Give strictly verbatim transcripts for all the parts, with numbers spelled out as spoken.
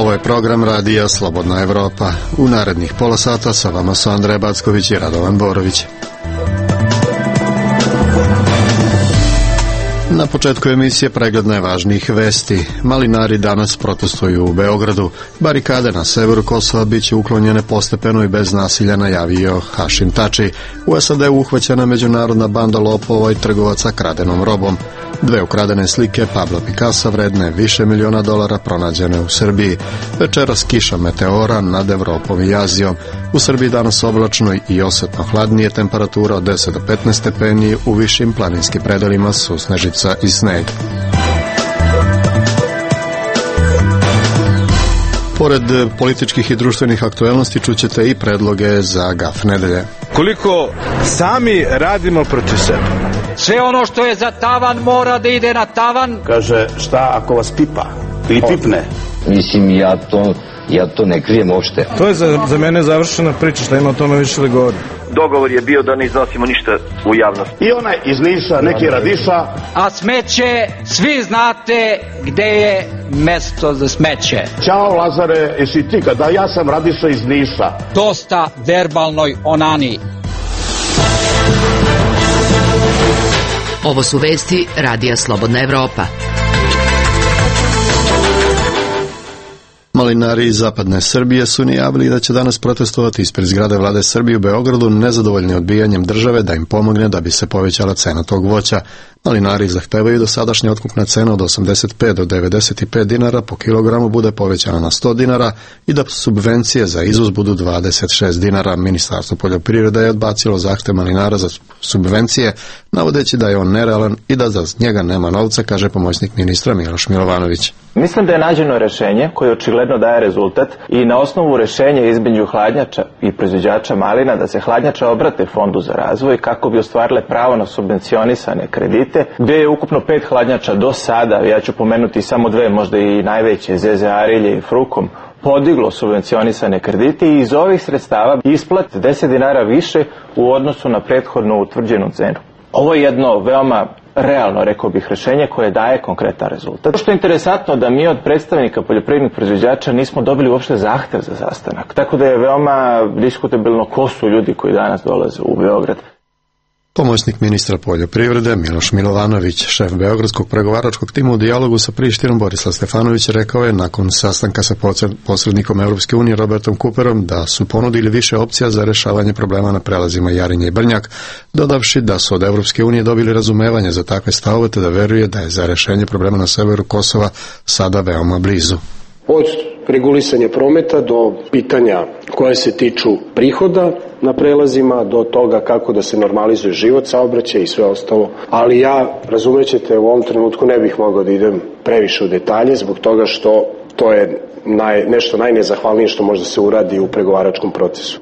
Ovo je program radija Slobodna Evropa. U narednih pola sata sa vama su Andreja Backović i Radovan Borović. Na početku emisije pregled najvažnijih vesti. Malinari danas protestuju u Beogradu. Barikade na severu Kosova bit će uklonjene postepeno i bez nasilja, najavio Hašim Tači. U S A D uhvaćena međunarodna banda lopova i trgovaca kradenom robom. Dve ukradene slike Pablo Picassa vredne više miliona dolara pronađene u Srbiji. Večeras kiša meteora nad Evropom i Azijom. U Srbiji danas oblačno i osetno hladnije, temperatura od deset do petnaest stepeni, u višim planinskim predelima susnežica i sneg. Pored političkih i društvenih aktuelnosti čućete i predloge za gaf nedelje. Koliko sami radimo protiv sebe? Sve ono što je za tavan mora da ide na tavan. Kaže, šta ako vas pipa ili pipne? Mislim, ja to, ja to ne krijem uopšte. To je za, za mene završena priča, šta ima o tome više da govori. Dogovor je bio da ne iznosimo ništa u javnost. I onaj iz Niša, neki radiša. A smeće, svi znate gde je mesto za smeće. Ćao Lazare, jesi ti kada ja sam radiša iz Niša. Dosta verbalnoj onani. Ovo su vesti radija Slobodna Evropa. Malinari iz zapadne Srbije su najavili da će danas protestovati ispred zgrade vlade Srbije u Beogradu, nezadovoljni odbijanjem države da im pomogne da bi se povećala cena tog voća. Malinari zahtevaju da sadašnja otkupna cena od osamdeset pet do devedeset pet dinara po kilogramu bude povećana na sto dinara i da subvencije za izvoz budu dvadeset šest dinara. Ministarstvo poljoprivrede je odbacilo zahtev malinara za subvencije, navodeći da je on nerealan i da za njega nema novca, kaže pomoćnik ministra Miloš Milovanović. Mislim da je nađeno rešenje koje očigledno daje rezultat i na osnovu rešenja između hladnjača i proizvođača malina da se hladnjača obrate Fondu za razvoj kako bi ostvarile pravo na subvencionisane kredite, gdje je ukupno pet hladnjača do sada, ja ću pomenuti samo dve, možda i najveće, Zeze Arilje i Frukom, podiglo subvencionisane kredite i iz ovih sredstava isplat deset dinara više u odnosu na prethodno utvrđenu cenu. Ovo je jedno veoma realno, rekao bih, rešenje koje daje konkretan rezultat. Što je interesantno da mi od predstavnika poljoprivrednih proizvođača nismo dobili uopšte zahtev za sastanak. Tako da je veoma diskutabilno ko su ljudi koji danas dolaze u Beograd. Pomoćnik ministra poljoprivrede Miloš Milovanović, šef beogradskog pregovaračkog tima u dijalogu sa Prištinom Borislav Stefanović, rekao je nakon sastanka sa posrednikom Europske unije Robertom Cooperom da su ponudili više opcija za rešavanje problema na prelazima Jarinje i Brnjak, dodavši da su od Europske unije dobili razumevanje za takve stavove te da veruje da je za rešenje problema na severu Kosova sada veoma blizu. Od regulisanja prometa do pitanja koje se tiču prihoda na prelazima, do toga kako da se normalizuje život, saobraćaj i sve ostalo. Ali ja, razumećete, u ovom trenutku ne bih mogao da idem previše u detalje zbog toga što to je naj, nešto najnezahvalnije što može da se uradi u pregovaračkom procesu.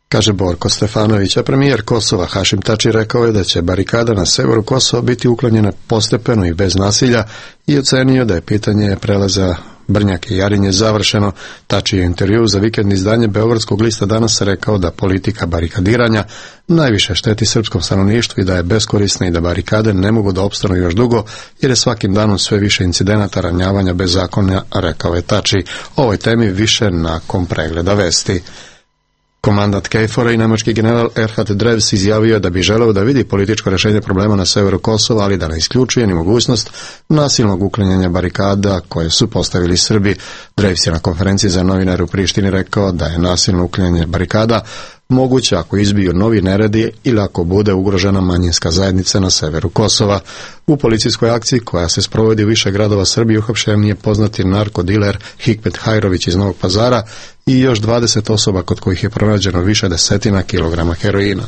Kaže Borko Stefanović, a premijer Kosova Hašim Tači rekao je da će barikada na severu Kosova biti uklonjena postepeno i bez nasilja i ocenio da je pitanje prelaza Brnjak i Jarinje završeno. Tači je u intervjuu za vikendno izdanje Beogradskog lista danas rekao da politika barikadiranja najviše šteti srpskom stanovništvu i da je beskorisna i da barikade ne mogu da opstanu još dugo jer je svakim danom sve više incidenata ranjavanja bez zakona, rekao je Tači. O ovoj temi više nakon pregleda vesti. Komandant Kejfora i nemački general Erhard Drews izjavio da bi želeo da vidi političko rešenje problema na severu Kosova, ali da ne isključuje ni mogućnost nasilnog uklanjanja barikada koje su postavili Srbi. Drews je na konferenciji za novinare u Prištini rekao da je nasilno uklanjanje barikada moguće ako izbiju novi neredi ili ako bude ugrožena manjinska zajednica na severu Kosova. U policijskoj akciji koja se sprovodi u više gradova Srbije uhapšen je poznati narkodiler Hikmet Hajrović iz Novog Pazara i još dvadeset osoba kod kojih je pronađeno više desetina kilograma heroina.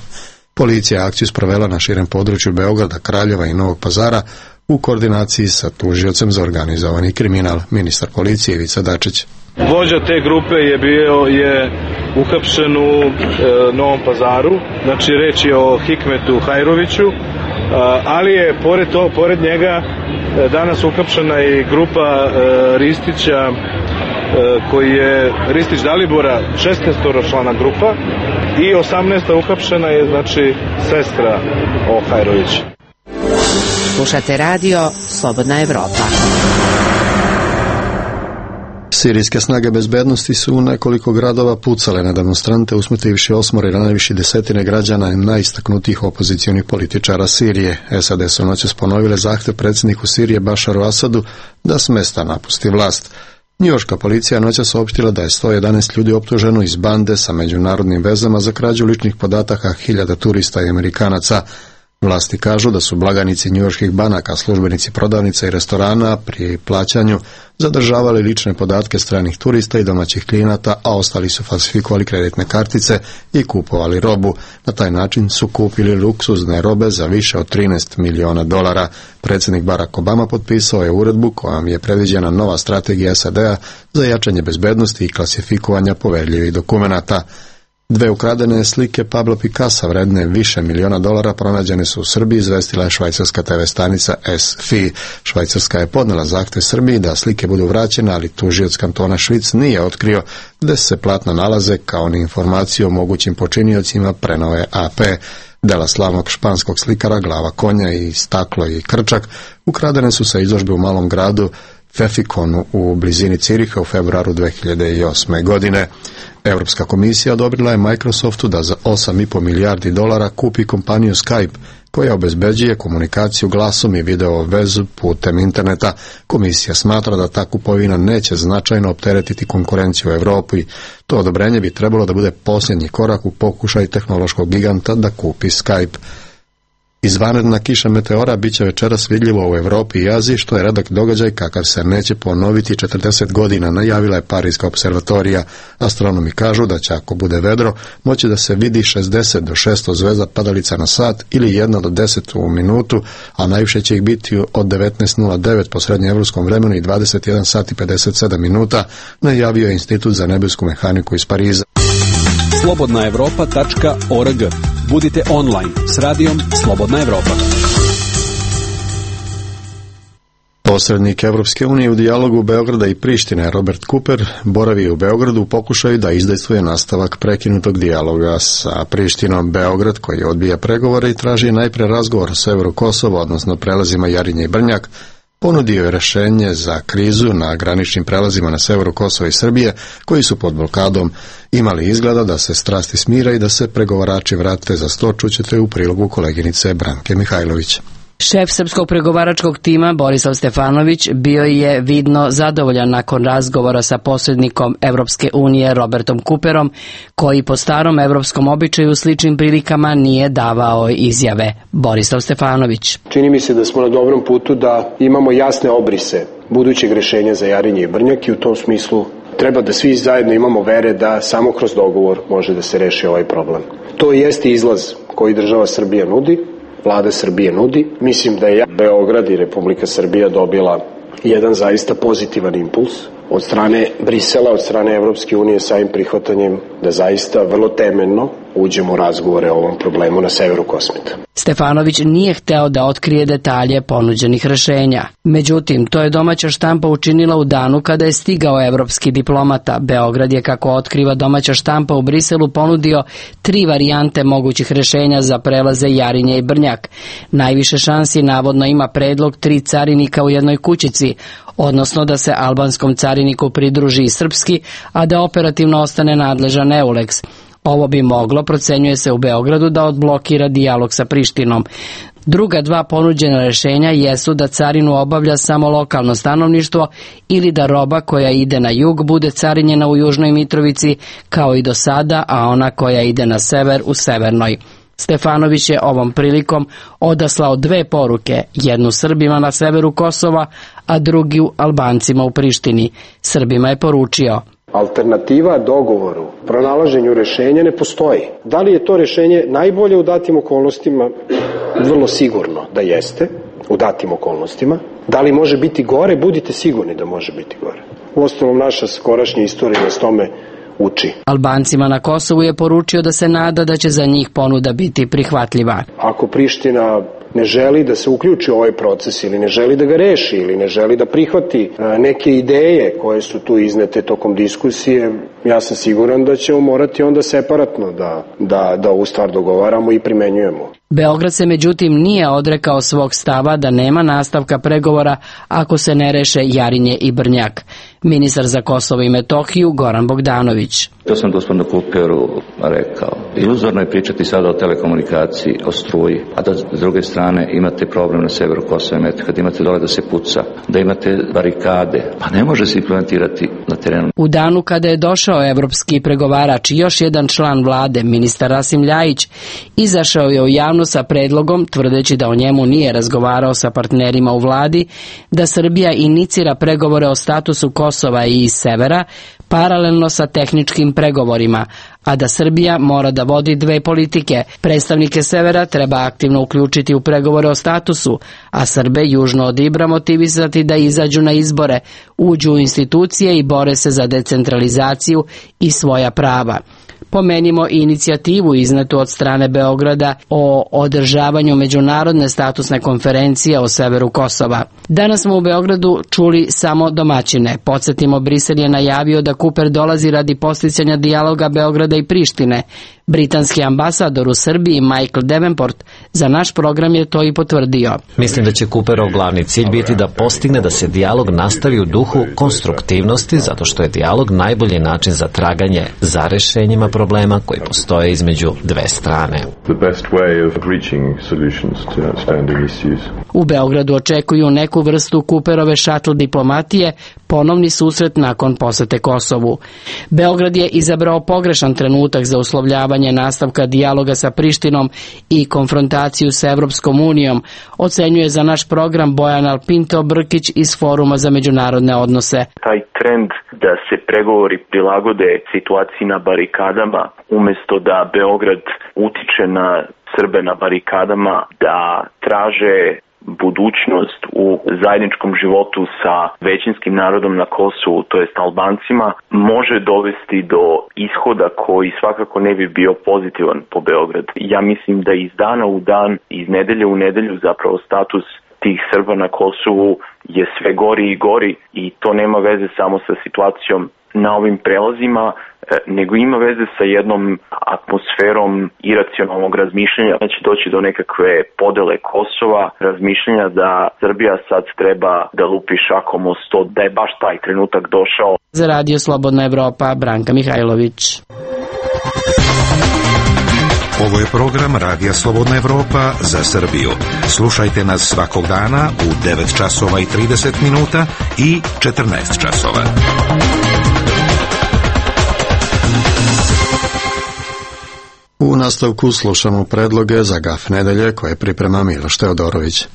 Policija je akciju sprovela na širem području Beograda, Kraljeva i Novog Pazara u koordinaciji sa tužiocem za organizovani kriminal, ministar policije Ivica Dačić. Vođa te grupe je bio je uhapšen u e, Novom Pazaru, znači reč je o Hikmetu Hajroviću, a, ali je pored to, pored njega e, danas uhapšena i grupa e, Ristića, e, koji je Ristić Dalibora, šesnaestoročlana grupa, i osamnaesta uhapšena je znači sestra o Hajrovića. Slušate radio Slobodna Evropa. Sirijske snage bezbednosti su u nekoliko gradova pucale na demonstrante, usmrtivši osmoro i ranivši desetine građana i najistaknutijih opozicionih političara Sirije. S A D su noćas ponovile zahtev predsjedniku Sirije Bašaru Asadu da s mesta napusti vlast. Njujorška policija noćas saopštila da je sto jedanaest ljudi optuženo iz bande sa međunarodnim vezama za krađu ličnih podataka hiljada turista i Amerikanaca. Vlasti kažu da su blagajnici njujorških banaka, službenici prodavnica i restorana pri plaćanju zadržavali lične podatke stranih turista i domaćih klijenata, a ostali su falsifikovali kreditne kartice i kupovali robu. Na taj način su kupili luksuzne robe za više od trinaest miliona dolara. Predsjednik Barack Obama potpisao je uredbu kojom je predviđena nova strategija S A D-a za jačanje bezbednosti i klasifikovanja poverljivih dokumenata. Dve ukradene slike Pablo Picassa vredne više miliona dolara pronađene su u Srbiji, izvestila je švajcarska te ve stanica S F I. Švajcarska je podnela zahtjev Srbiji da slike budu vraćene, ali tužioc kantona Švic nije otkrio gde se platna nalaze, kao ni informaciju o mogućim počiniocima, prenove A P. Dela slavnog španskog slikara, glava konja i staklo i krčak ukradene su sa izložbe u malom gradu Fefikonu u blizini Ciriha u februaru dve hiljade osme. godine. Europska komisija odobrila je Microsoftu da za osam i po milijardi dolara kupi kompaniju Skype, koja obezbeđuje komunikaciju glasom i video vezu putem interneta. Komisija smatra da ta kupovina neće značajno opteretiti konkurenciju u Europi. To odobrenje bi trebalo da bude posljednji korak u pokušaju tehnološkog giganta da kupi Skype. Izvanredna kiša meteora bit će večeras vidljivo u Europi i Aziji, što je redak događaj kakav se neće ponoviti četrdeset godina, najavila je Parijska observatorija. Astronomi kažu da će, ako bude vedro, moći da se vidi šezdeset do šesto zvezda padalica na sat ili jedna do deset u minutu, a najviše će ih biti od devetnaest nula devet po srednjeevropskom vremenu i dvadeset jedan sat i pedeset sedam minuta, najavio je Institut za nebesku mehaniku iz Pariza. slobodna evropa tačka org. Budite online s radijom Slobodna Evropa. Posrednik Evropske unije u dijalogu Beograda i Prištine Robert Cooper boravi u Beogradu u pokušaju da izdejstvuje nastavak prekinutog dijaloga sa Prištinom. Beograd, koji odbija pregovore i traži najpre razgovor o severu Kosova, odnosno prelazima Jarinje i Brnjak, ponudio je rešenje za krizu na graničnim prelazima na severu Kosova i Srbije, koji su pod blokadom. Imali izgleda da se strasti smira i da se pregovarači vrate za sto, čućete u prilogu koleginice Branke Mihajlović. Šef srpskog pregovaračkog tima Borislav Stefanović bio je vidno zadovoljan nakon razgovora sa posrednikom Evropske unije Robertom Cooperom, koji po starom evropskom običaju u sličnim prilikama nije davao izjave. Borislav Stefanović. Čini mi se da smo na dobrom putu da imamo jasne obrise budućeg rešenja za Jarinje i Brnjak i u tom smislu treba da svi zajedno imamo vere da samo kroz dogovor može da se reši ovaj problem. To jeste izlaz koji država Srbija nudi, Vlada Srbije nudi. Mislim da je Beograd i Republika Srbija dobila jedan zaista pozitivan impuls od strane Brisela, od strane Evropske unije sa im prihvatanjem da zaista vrlo temeljno uđemo u razgovore o ovom problemu na severu Kosmeta. Stefanović nije hteo da otkrije detalje ponuđenih rešenja. Međutim, to je domaća štampa učinila u danu kada je stigao evropski diplomata. Beograd je, kako otkriva domaća štampa u Briselu, ponudio tri varijante mogućih rešenja za prelaze Jarinje i Brnjak. Najviše šansi navodno ima predlog tri carinika u jednoj kućici, odnosno da se albanskom cariniku pridruži i srpski, a da operativno ostane nadležan EULEX. Ovo bi moglo, procenjuje se u Beogradu, da odblokira dijalog sa Prištinom. Druga dva ponuđena rešenja jesu da carinu obavlja samo lokalno stanovništvo ili da roba koja ide na jug bude carinjena u Južnoj Mitrovici kao i do sada, a ona koja ide na sever u Severnoj. Stefanović je ovom prilikom odaslao dve poruke, jednu Srbima na severu Kosova, a drugu Albancima u Prištini. Srbima je poručio: alternativa dogovoru, pronalaženju rešenja ne postoji. Da li je to rešenje najbolje u datim okolnostima? Vrlo sigurno da jeste, u datim okolnostima. Da li može biti gore? Budite sigurni da može biti gore. Uostalom, naša skorašnja istorija nas tome uči. Albancima na Kosovu je poručio da se nada da će za njih ponuda biti prihvatljiva. Ako Priština ne želi da se uključi u ovaj proces ili ne želi da ga reši ili ne želi da prihvati neke ideje koje su tu iznete tokom diskusije, ja sam siguran da ćemo morati onda separatno da, da, da ovu stvar dogovaramo i primenjujemo. Beograd se međutim nije odrekao svog stava da nema nastavka pregovora ako se ne reše Jarinje i Brnjak. Ministar za Kosovo i Metohiju Goran Bogdanović. To sam gospodinu Kuperu rekao. Iluzorno je pričati sada o telekomunikaciji, o struji, a da s druge strane imate problem na severu Kosova i Metohije, da imate dole da se puca, da imate barikade, pa ne može se implementirati na terenu. U danu kada je došao evropski pregovarač i još jedan član vlade, ministar Rasim Ljajić, izašao je u javnost sa predlogom, tvrdeći da o njemu nije razgovarao sa partnerima u vladi, da Srbija inicira pregovore o statusu Kosova i iz severa, paralelno sa tehničkim pregovorima, a da Srbija mora da vodi dve politike. Predstavnike severa treba aktivno uključiti u pregovore o statusu, a Srbe južno od Ibra motivisati da izađu na izbore, uđu u institucije i bore se za decentralizaciju i svoja prava. Pomenimo i inicijativu iznetu od strane Beograda o održavanju međunarodne statusne konferencije o severu Kosova. Danas smo u Beogradu čuli samo domaćine. Podsjetimo, Brisel je najavio da Kuper dolazi radi posticanja dijaloga Beograda i Prištine. Britanski ambasador u Srbiji Michael Davenport za naš program je to i potvrdio. Mislim da će Kuperov glavni cilj biti da postigne da se dijalog nastavi u duhu konstruktivnosti, zato što je dijalog najbolji način za traganje za rešenjima problema koji postoje između dve strane. U Beogradu očekuju neku vrstu Kuperove šatl diplomatije, ponovni susret nakon posete Kosovu. Beograd je izabrao pogrešan trenutak za uslovljavanje nastavka dijaloga sa Prištinom i konfrontaciju sa Evropskom unijom, ocenjuje za naš program Bojan Alpinto Brkić iz Foruma za međunarodne odnose. Taj trend da se pregovori prilagode situaciji na barikadama, umjesto da Beograd utiče na Srbe na barikadama, da traže budućnost u zajedničkom životu sa većinskim narodom na Kosovu, to jest Albancima, može dovesti do ishoda koji svakako ne bi bio pozitivan po Beograd. Ja mislim da iz dana u dan, iz nedelje u nedelju zapravo status tih Srba na Kosovu je sve gori i gori i to nema veze samo sa situacijom na ovim prelazima, nego ima veze sa jednom atmosferom iracionalnog razmišljanja. Znači doći do nekakve podele Kosova, razmišljanja da Srbija sad treba da lupi šakom o sto, da je baš taj trenutak došao. Za Radio Slobodna Evropa, Branka Mihajlović. Ovo je program Radija Slobodna Evropa za Srbiju. Slušajte nas svakog dana u devet časova i trideset minuta i četrnaest časova. U nastavku slušamo predloge za gaf nedelje koje priprema Miloš Teodorović.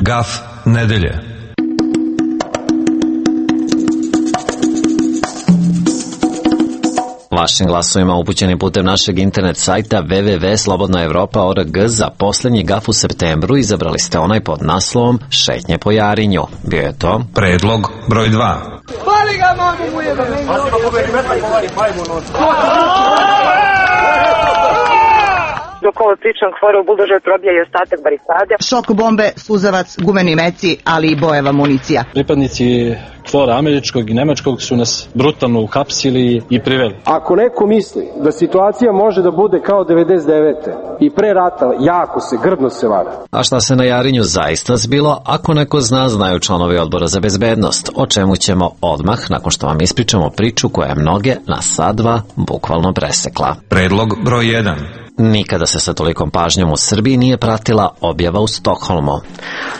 Gaf nedelje. Vašim glasovima upućenim putem našeg internet sajta w w w tačka slobodna evropa tačka org za posljednji gaf u septembru izabrali ste onaj pod naslovom Šetnje po Jarinju. Bio je to predlog broj dva. Pali ga, mamu mu jebe! Dok ovo pričam, hvore u buldožer probija i ostatak barikade. Šok bombe, suzavac, gumeni meci, ali i bojeva municija. Pripadnici KFOR-a američkog i nemačkog su nas brutalno uhapsili i priveli. Ako neko misli da situacija može da bude kao devedeset devete i pre rata, jako se, grdno se vara. A šta se na Jarinju zaista zbilo, ako neko zna, znaju članovi Odbora za bezbednost, o čemu ćemo odmah, nakon što vam ispričamo priču koja je mnoge na sadva bukvalno presekla. Predlog broj jedan. Nikada se sa tolikom pažnjom u Srbiji nije pratila objava u Stokholmu.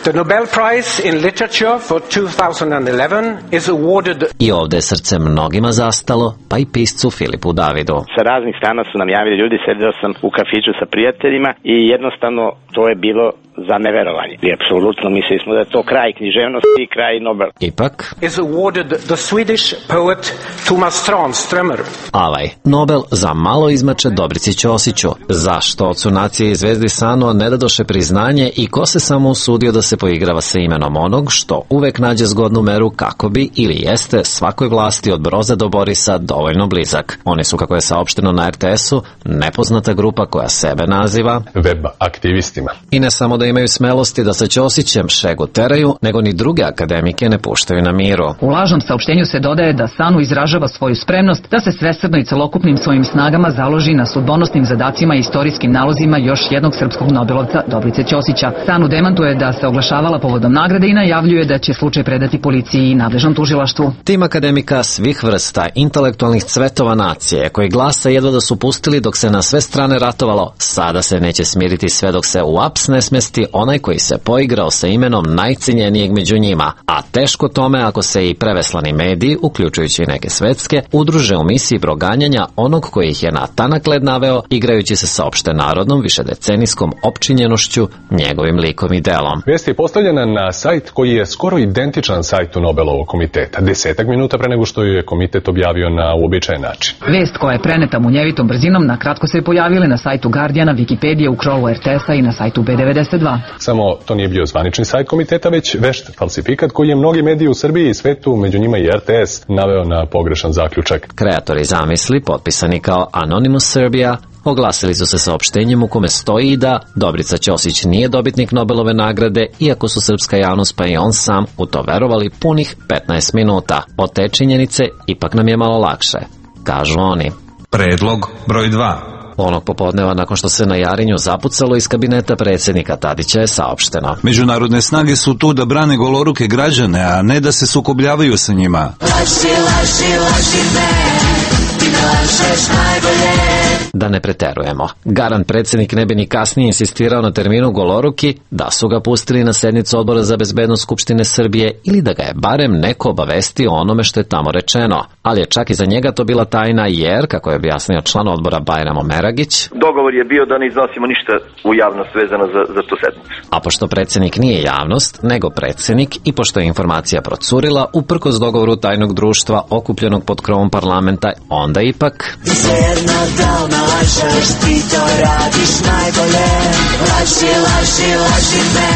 The Nobel Prize in Literature for two thousand eleven is awarded. I ovde je srce mnogima zastalo, pa i piscu Filipu Davidu. Sa raznih strana su nam javili ljudi, sedio sam u kafiću sa prijateljima i jednostavno to je bilo za neverovanje. I apsolutno mislili smo da je to kraj književnosti i kraj Nobel. Ipak is awarded the Swedish poet Tomas Tranströmer. Avaj, Nobel za malo izmače Dobrici Ćosiću. Zašto ocu nacije i Zvezdi Sano ne dadoše priznanje i ko se samo usudio da se poigrava sa imenom onog što uvek nađe zgodnu meru kako bi ili jeste svakoj vlasti od Broza do Borisa dovoljno blizak. Oni su, kako je saopšteno na er te esu, nepoznata grupa koja sebe naziva web aktivistima. I ne samo da da imaju smelosti da sa Ćosićem šegu teraju, nego ni druge akademike ne puštaju na miru. U lažnom saopštenju se dodaje da SANU izražava svoju spremnost da se svesrdno i celokupnim svojim snagama založi na sudbonosnim zadacima i istorijskim nalozima još jednog srpskog nobelovca Dobrice Ćosića. SANU demantuje da se oglašavala povodom nagrade i najavljuje da će slučaj predati policiji i nadležnom tužilaštvu. Tim akademika svih vrsta, intelektualnih cvetova nacije, koji glasa jedva da su pustili dok se na sve strane ratovalo, sada se neće smiriti sve dok se u aps ne smesti onaj koji se poigrao sa imenom najcenjenijeg među njima, a teško tome ako se i preveslani mediji, uključujući i neke svetske, udruže u misiji proganjanja onog koji ih je na tanak led naveo, igrajući se sa opšte narodnom višedecenijskom opčinjenošću, njegovim likom i delom. Vest je postavljena na sajt koji je skoro identičan sajtu Nobelovog komiteta, desetak minuta pre nego što ju je komitet objavio na uobičajen način. Vest koja je preneta munjevitom brzinom na kratko se je pojavila na sajtu Guardiana, Wikipedije, u krolu er te es-a i na sajtu be devedeset dva. Samo to nije bio zvanični sajt komiteta, već vešt falsifikat koji je mnogi mediji u Srbiji i svetu, među njima i er te es, naveo na pogrešan zaključak. Kreatori zamisli, potpisani kao Anonymous Serbia, oglasili su se saopštenjem u kome stoji da Dobrica Ćosić nije dobitnik Nobelove nagrade, iako su srpska javnost pa i on sam u to verovali punih petnaest minuta. Od te činjenice ipak nam je malo lakše, kažu oni. Predlog broj dva. Onog popodneva, nakon što se na Jarinju zapucalo iz kabineta predsjednika Tadića, je saopšteno: međunarodne snage su tu da brane goloruke građane, a ne da se sukobljavaju sa njima. Laži, laži, laži me, ti me lažeš najbolje. Da ne preterujemo. Garant predsjednik ne bi ni kasnije insistirao na terminu goloruki da su ga pustili na sednicu Odbora za bezbednost Skupštine Srbije ili da ga je barem neko obavestio o onome što je tamo rečeno. Ali je čak i za njega to bila tajna jer, kako je objasnio član odbora Bajramo Meragić, dogovor je bio da ne iznosimo ništa u javnost vezano za, za tu sednicu. A pošto predsjednik nije javnost, nego predsjednik i pošto je informacija procurila uprkos dogovoru tajnog društva okupljenog pod krovom parlamenta, onda ipak... Lažeš, ti to radiš najbolje. Laži, laži, laži me.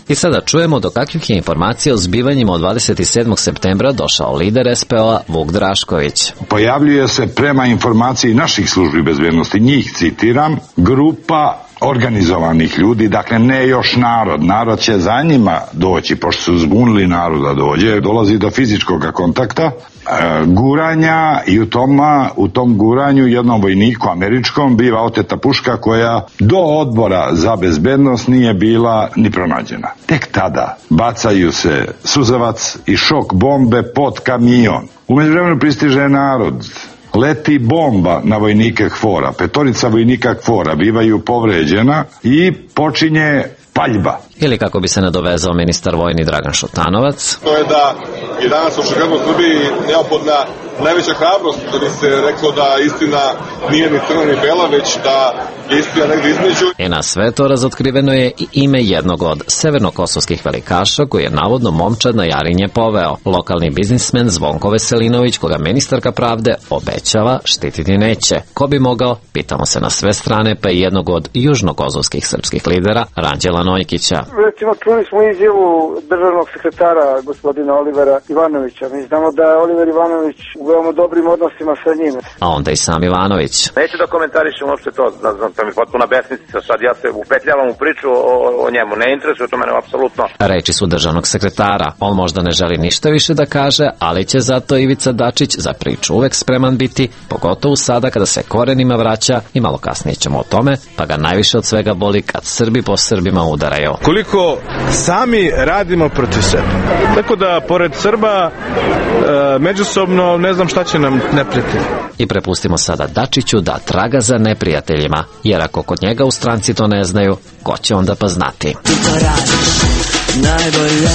I sada čujemo do kakvih je informacija o zbivanjima od dvadeset sedmog septembra došao lider es pe o-a Vuk Drašković. Pojavljuje se prema informaciji naših službi bezbednosti, njih citiram, grupa organizovanih ljudi, dakle ne još narod, narod će za njima doći, pošto su zbunili naroda dođe, dolazi do fizičkog kontakta, e, guranja i u, toma, u tom guranju jednom vojniku američkom biva oteta puška koja do odbora za bezbednost nije bila ni pronađena. Tek tada bacaju se suzavac i šok bombe pod kamion. U međuvremenu pristiže narod. Leti bomba na vojnike Hvora, petorica vojnika Hvora bivaju povređena i počinje paljba. Ili kako bi se nadovezao ministar vojni Dragan Šutanovac. To je da je danas očigledno u Srbiji neophodna najveća hrabrost da bi se reklo da istina nije ni crna ni bela, već da je istina negdje između. I na sve to razotkriveno je i ime jednog od severnokosovskih velikaša koji je navodno momčad na Jarinje poveo. Lokalni biznismen Zvonko Veselinović, koga ministarka pravde obećava štititi neće. Ko bi mogao? Pitamo se na sve strane, pa i jednog od južnokosovskih srpskih lidera, Ranđela Nojkića. Recimo, čuli smo izjavu državnog sekretara gospodina Olivera Ivanovića. Mi znamo da je Oliver Ivanović u veoma dobrim odnosima sa njim. A onda i sam Ivanović. Neću da komentarišem uopšte to, da znam, to mi je potpuna besmislica. Sad ja se upetljavam u priču o, o njemu. Ne interesuje to mene apsolutno. Reči su državnog sekretara. On možda ne želi ništa više da kaže, ali će zato Ivica Dačić za priču uvek spreman biti, pogotovo sada kada se korenima vraća, i malo kasnije ćemo o tome, pa ga najviše od svega boli kad Srbi po Srbima udaraju. Koliko sami radimo protiv sebe. Tako da, pored Srba, e, međusobno ne znam šta će nam neprijatelji. I prepustimo sada Dačiću da traga za neprijateljima, jer ako kod njega u stranci to ne znaju, ko će onda pa znati? Ti to radiš najbolje.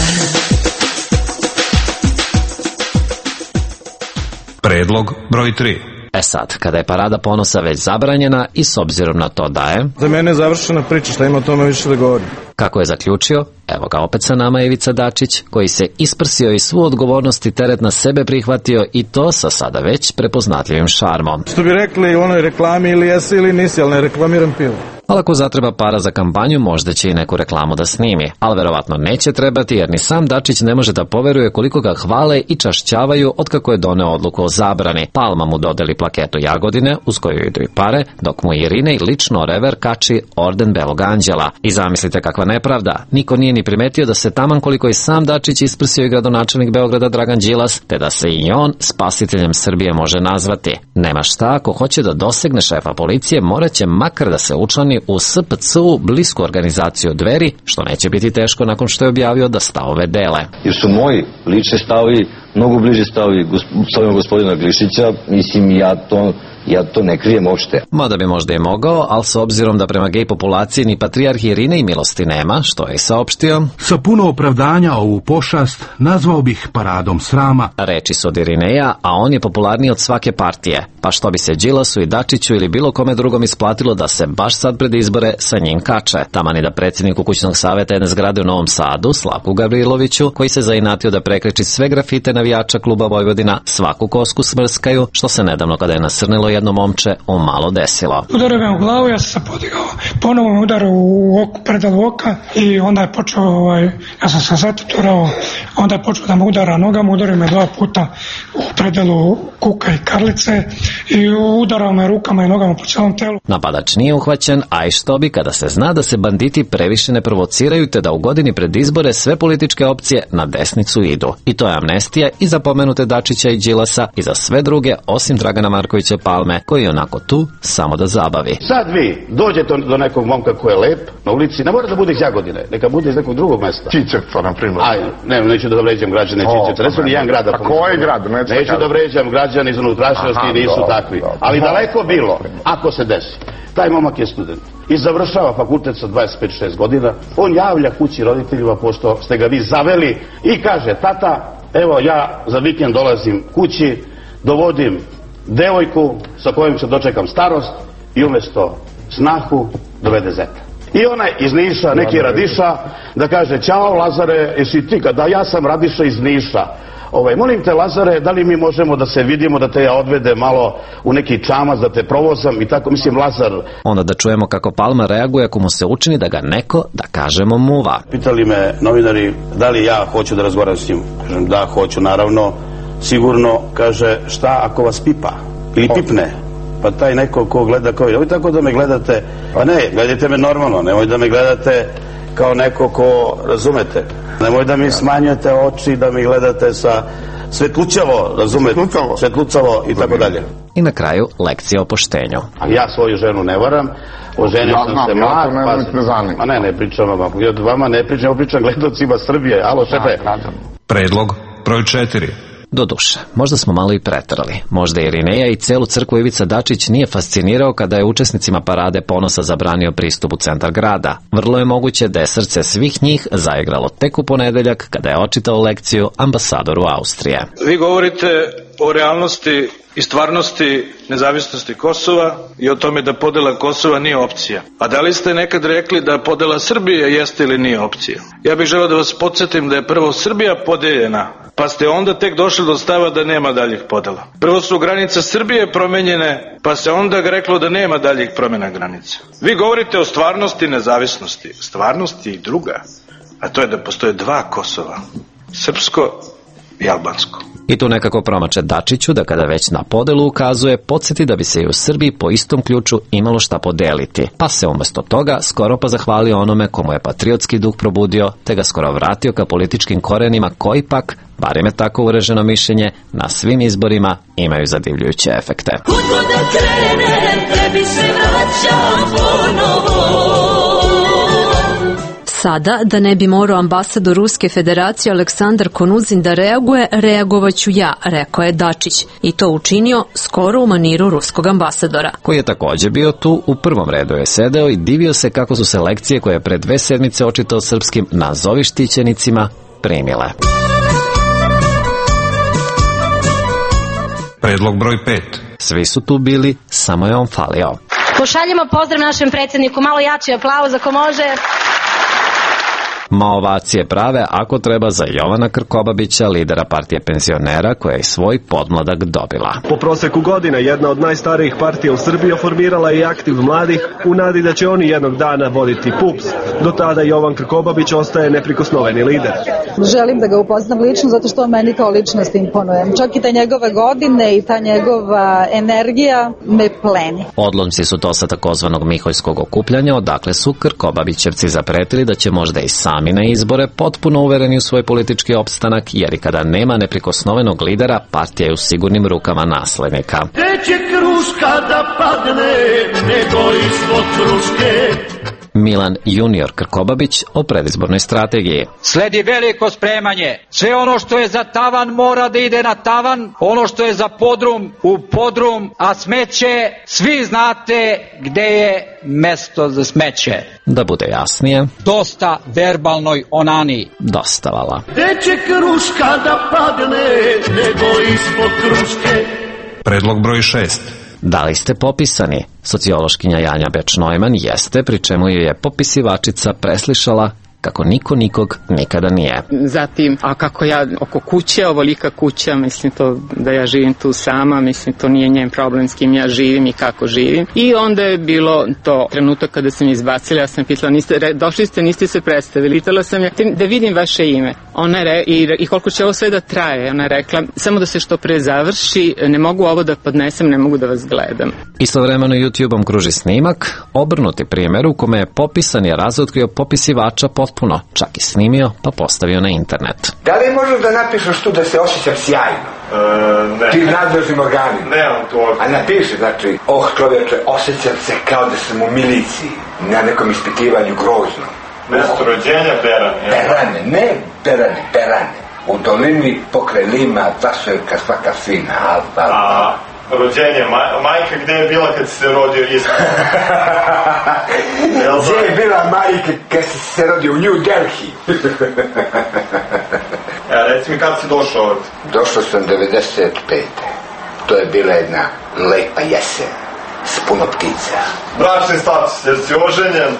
Predlog broj tri. E sad, kada je parada ponosa već zabranjena i s obzirom na to da je... Za mene je završena priča, šta ima o tome više da govorim. Kako je zaključio, evo ga opet sa nama Ivica Dačić, koji se isprsio i svu odgovornost i teret na sebe prihvatio i to sa sada već prepoznatljivim šarmom. Što bi rekli u onoj reklami, ili jesi ili nisi, ali ne reklamiram pivo. Ali ako zatreba para za kampanju, možda će i neku reklamu da snimi. Ali verovatno neće trebati, jer ni sam Dačić ne može da poveruje koliko ga hvale i čašćavaju otkako je doneo odluku o zabrani. Palma mu dodeli plaketu Jagodine, uz koju idu i pare, dok mu Irinej lično rever kači orden Belog anđela. I zamislite kakva nepravda. Niko nije ni primetio da se taman koliko i sam Dačić isprsio i gradonačelnik Beograda Dragan Đilas, te da se i on spasiteljem Srbije može nazvati. Nema šta, ako hoće da dosegne šefa policije, morat će makar da se učlani u S P C U, blisku organizaciju Dveri, što neće biti teško nakon što je objavio da stavove dele. Jer su moji lični stavovi mnogo bliže stavovi stavima gospodina Glišića, mislim ja to... Ja to ne krijem uopšte. Mada bi možda i mogao, ali s obzirom da prema gej populaciji ni patrijarh Irinej milosti nema, što je i saopštio. Sa puno opravdanja ovu pošast nazvao bih paradom srama. Reči su od Irineja, a on je popularniji od svake partije. Pa što bi se Đilasu i Dačiću ili bilo kome drugom isplatilo da se baš sad pred izbore sa njim kače. Tamani da predsjedniku kućnog saveta jedne zgrade u Novom Sadu, Slavku Gavriloviću, koji se zainatio da prekreči sve grafite navijača kluba Vojvodina, svaku kosku smrskaju, što se nedavno kada je nasrnilo jedno momče umalo desilo. Udario me u glavu, ja sam se podigao, ponovo me udario u oku, predalu oka i onda je počeo, ovaj, ja sam se zatuturao, onda je počeo da me udara nogama, udario me dva puta u predalu kuka i karlice i udarao me rukama i nogama po celom telu. Napadač nije uhvaćen, a i što bi kada se zna da se banditi previše ne provociraju te da u godini pred izbore sve političke opcije na desnicu idu. I to je amnestija i za pomenute Dačića i Đilasa i za sve druge osim Dragana Markovića Palme, koji je onako tu samo da zabavi. Sad vi dođete do nekog momka koji je lep na ulici, ne mora da bude iz Jagodine, neka bude iz nekog drugog mesta. Čičevca, na primjer. Aj, ne, neću da vređam građane Čičevca, ne su ni jedan grad. A koji grad? Neću, neću da vređam građane iz unutrašnjosti, nisu takvi. Ali daleko bilo, ako se desi. Taj momak je student i završava fakultet sa dvadeset pet šest godina, on javlja kući roditeljima pošto ste ga vi zaveli i kaže, tata, evo ja za vikend dolazim kući, dovodim devojku sa kojom se dočekam starost i umjesto snahu dovede zeta. I onaj iz Niša, neki Radiša, da kaže, ćao Lazare, jesi ti? Da, ja sam Radiša iz Niša. Ovaj, molim te Lazare, da li mi možemo da se vidimo, da te ja odvede malo u neki čamac, da te provozam i tako, mislim Lazar. Onda da čujemo kako Palma reaguje ako mu se učini da ga neko, da kažemo, muva. Pitali me novinari da li ja hoću da razgovaram s njim. Kažem, da, hoću, naravno. Sigurno, kaže, šta ako vas pipa ili pipne? Pa taj neko ko gleda kao, nemoj tako da me gledate, pa ne, gledajte me normalno, nemoj da me gledate kao neko ko, razumete, nemoj da mi smanjujete oči, da mi gledate sa svetlućavo, razumete, svetlucavo i tako dalje. I na kraju lekcija o poštenju. Ja svoju ženu ne varam, oženio sam se mlad, pa ne, ne pričam vama, ja vama ne pričam, pričam gledocima Srbije, alo šefe. Predlog broj četiri. Doduše, možda smo malo i preterali. Možda Irineja i celu crkvu Ivica Dačić nije fascinirao kada je učesnicima parade ponosa zabranio pristup u centar grada. Vrlo je moguće da je srce svih njih zaigralo tek u ponedeljak kada je očitao lekciju ambasadoru Austrije. Vi govorite o realnosti i stvarnosti nezavisnosti Kosova i o tome da podela Kosova nije opcija. A da li ste nekad rekli da podela Srbije jeste ili nije opcija? Ja bih želeo da vas podsjetim da je prvo Srbija podeljena, pa ste onda tek došli do stava da nema daljih podela. Prvo su granice Srbije promenjene, pa se onda reklo da nema daljih promjena granica. Vi govorite o stvarnosti i nezavisnosti. Stvarnost je i druga, a to je da postoje dva Kosova, srpsko i albansko. I tu nekako promače Dačiću da kada već na podelu ukazuje, podsjeti da bi se i u Srbiji po istom ključu imalo šta podeliti. Pa se umjesto toga skoro pa zahvalio onome komu je patriotski duh probudio, te ga skoro vratio ka političkim korenima koji pak, barem je tako ureženo mišljenje, na svim izborima imaju zadivljujuće efekte. Kud da krenem, tebi se vraćam ponovo. Sada, da ne bi morao ambasador Ruske federacije Aleksandar Konuzin da reaguje, reagovaću ja, rekao je Dačić. I to učinio skoro u maniru ruskog ambasadora. Koji je također bio tu, u prvom redu je sedeo i divio se kako su se lekcije koje je pred dve sedmice očitao srpskim nazovi štićenicima primile. Predlog broj pet. Svi su tu bili, samo je on falio. Pošaljemo pozdrav našem predsjedniku, malo jači aplauz ako može. Ma ovacije prave ako treba za Jovana Krkobabića, lidera partije penzionera koja je svoj podmladak dobila. Po proseku godina jedna od najstarijih partija u Srbiji formirala je aktiv mladih u nadi da će oni jednog dana voditi P U P S. Do tada Jovan Krkobabić ostaje neprikosnoveni lider. Želim da ga upoznam lično zato što on meni kao ličnost imponuje. Čak i ta njegove godine i ta njegova energija me pleni. Odlomci su to sa takozvanog Miholjskog okupljanja, odakle su Krkobabićevci zapretili da će možda i sami na izbore, potpuno uvereni u svoj politički opstanak, jer i kada nema neprikosnovenog lidera, partija je u sigurnim rukama naslednika. Gde će kruška da padne, nego ispod kruške. Milan junior Krkobabić o predizbornoj strategiji. Sledi veliko spremanje. Sve ono što je za tavan mora da ide na tavan, ono što je za podrum u podrum, a smeće, svi znate gde je mesto za smeće. Da bude jasnije, dosta verbalnoj onani. Dostavala. Gde će kruška da padne, nego ispod kruške. Predlog broj šest. Da li ste popisani? Sociološkinja Janja Beč-Neumann jeste, pri čemu ju je popisivačica preslišala kako niko nikog nikada nije. Zatim, a kako ja oko kuće, ovolika kuća, mislim to da ja živim tu sama, mislim to nije njen problem s kim ja živim i kako živim. I onda je bilo to trenutak kada sam izbacila, ja sam pitala, niste, re, došli ste, niste se predstavili, pitala sam ja da vidim vaše ime. Ona je re, i, i koliko će ovo sve da traje, ona je rekla, samo da se što pre završi, ne mogu ovo da podnesem, ne mogu da vas gledam. Istovremeno YouTube-om kruži snimak, obrnuti primjer u kome je popisan je razotkrio popisivača potpuno, čak i snimio pa postavio na internet. Da li možeš da napišeš tu da se osjećam sjajno? E, ne. Ti nadležnim organima. Nemam to. A napiši, znači, oh čovječe, osjećam se kao da sam u miliciji, na nekom ispitivanju grozno. Mesto rođenja Berane. Berane, ne Berane, Berane. U dolini pokraj Lima, Taševka, svaka svina, alfa. A, rođenje, maj, majka gde je bila kad si se rodio isto? Gde je bila majka kad si se rodio u New Delhi? Ja, reci mi kad si došao ovdje? Došao sam devedeset pete. To je bila jedna lepa jesen, s puno ptica. Bračni status, jer si oženjen?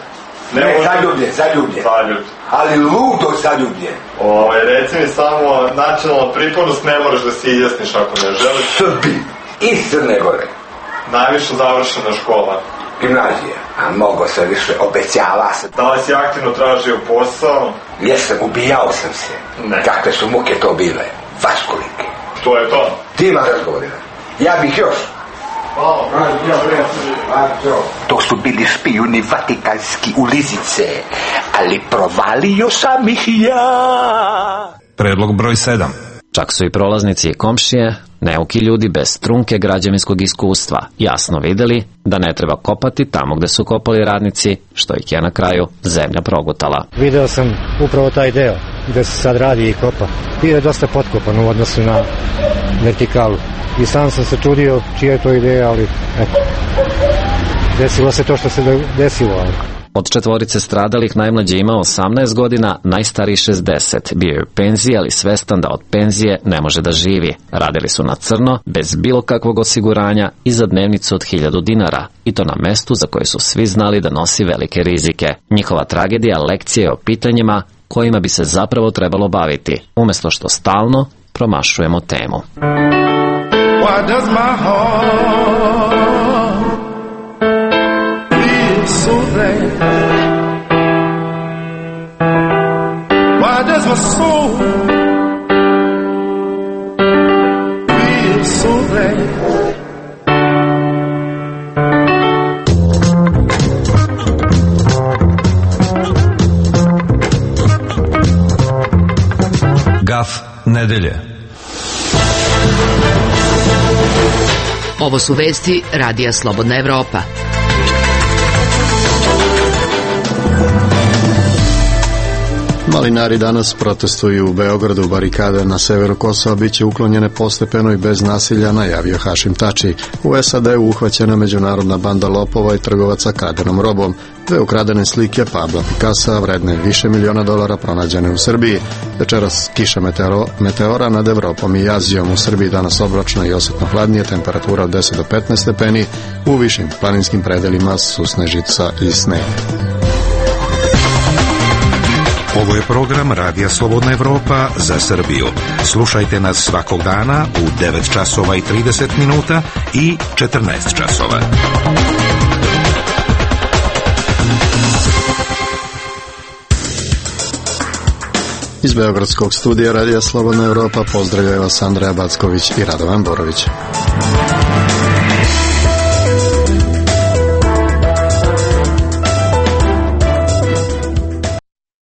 Ne, ne zaljubljen, zaljubljen. Zaljubljen. Ali ludo zaljubljen. O, reci mi samo, načelno pripadnost ne moraš da se izjasniš ako ne želiš. Srbi iz Crne Gore. Najviše završena škola. Gimnazija. A mogo se više, obećava se. Da li si aktivno tražio posao? Jesam, ubijao sam se. Ne. Kakve su muke to bile? Vaškolike. To je to? Ti ima razgovorila. Ja bih još. To su bili špijuni vatikanski u Lizice, ali provalio sam ih ja. Predlog broj sedam. Čak su i prolaznici i komšije, neuki ljudi bez trunke građevinskog iskustva, jasno videli da ne treba kopati tamo gde su kopali radnici, što ih je na kraju zemlja progutala. Video sam upravo taj deo gde se sad radi i kopa. Bio je dosta potkopan u odnosu na vertikalu. I sam sam se čudio čija je to ideja, ali eto, desilo se to što se desilo. Ali. Od četvorice stradalih najmlađi ima osamnaest godina, najstariji šezdeset. Bio je u penziji, ali svestan da od penzije ne može da živi. Radili su na crno, bez bilo kakvog osiguranja i za dnevnicu od hiljadu dinara. I to na mestu za koje su svi znali da nosi velike rizike. Njihova tragedija lekcija je o pitanjima kojima bi se zapravo trebalo baviti, umjesto što stalno promašujemo temu. Why does my heart feel so bad? Why does my soul feel so bad? Gaf nedelje. Ovo su vesti Radija Slobodna Evropa. Malinari danas protestuju u Beogradu, barikade na severu Kosova biće uklonjene postepeno i bez nasilja, najavio Hašim Tači. U S A D-u uhvaćena međunarodna banda lopova i trgovaca kradenom robom. Dve ukradene slike Pabla Picassa vredne više miliona dolara pronađene u Srbiji. Večeras kiša meteoro, meteora nad Evropom i Azijom. U Srbiji danas oblačno i osetno hladnije, temperatura od deset do petnaest stepeni, u višim planinskim predelima susnežica i sneg. Ovo je program Radija Slobodna Evropa za Srbiju. Slušajte nas svakog dana u devet časova i trideset minuta i četrnaest časova. Iz Beogradskog studija Radija Slobodna Evropa pozdravljaju vas Andreja Backović i Radovan Borović.